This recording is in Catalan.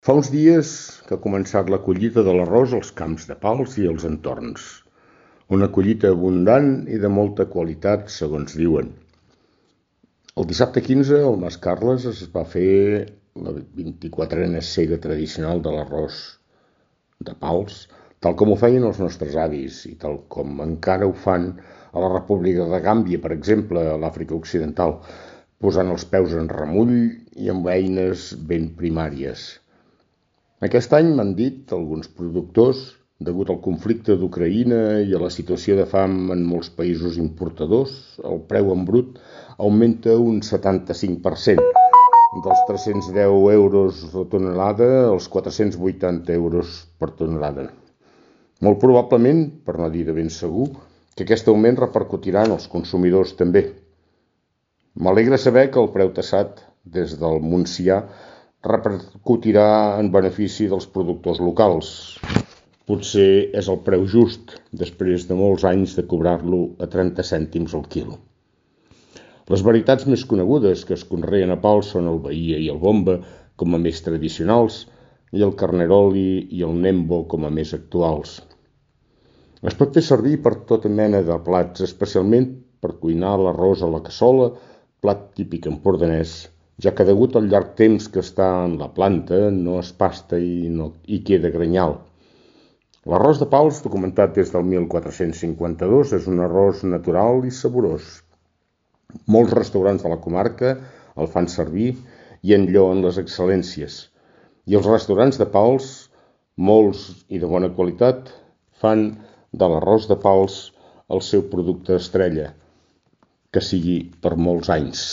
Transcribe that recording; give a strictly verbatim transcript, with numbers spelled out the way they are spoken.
Fa uns dies que ha començat la collita de l'arròs als camps de Pals i els entorns. Una collita abundant i de molta qualitat, segons diuen. El dissabte quinze, al Mas Carles, es va fer la vint-i-quatrena sega tradicional de l'arròs de Pals, tal com ho feien els nostres avis i tal com encara ho fan a la República de Gàmbia, per exemple, a l'Àfrica Occidental, posant els peus en remull i amb eines ben primàries. Aquest any, m'han dit alguns productors, degut al conflicte d'Ucraïna i a la situació de fam en molts països importadors, el preu en brut augmenta un setanta-cinc per cent, dels tres-cents deu euros la tonelada als quatre-cents vuitanta euros per tonelada. Molt probablement, per no dir de ben segur, que aquest augment repercutirà en els consumidors també. M'alegra saber que el preu tassat des del Montsià repercutirà en benefici dels productors locals. Potser és el preu just, després de molts anys de cobrar-lo a trenta cèntims al quilo. Les varietats més conegudes que es conreen a Pals són el Bahia i el Bomba com a més tradicionals i el Carneroli i el Nembo com a més actuals. Es pot fer servir per tota mena de plats, especialment per cuinar l'arròs a la cassola, plat típic empordanès, ja que degut al llarg temps que està en la planta no es pasta i, no, i queda grenyal. L'arròs de Pals, documentat des del mil quatre-cents cinquanta-dos, és un arròs natural i saborós. Molts restaurants de la comarca el fan servir i en lloen les excel·lències. I els restaurants de Pals, molts i de bona qualitat, fan de l'arròs de Pals el seu producte estrella, que sigui per molts anys.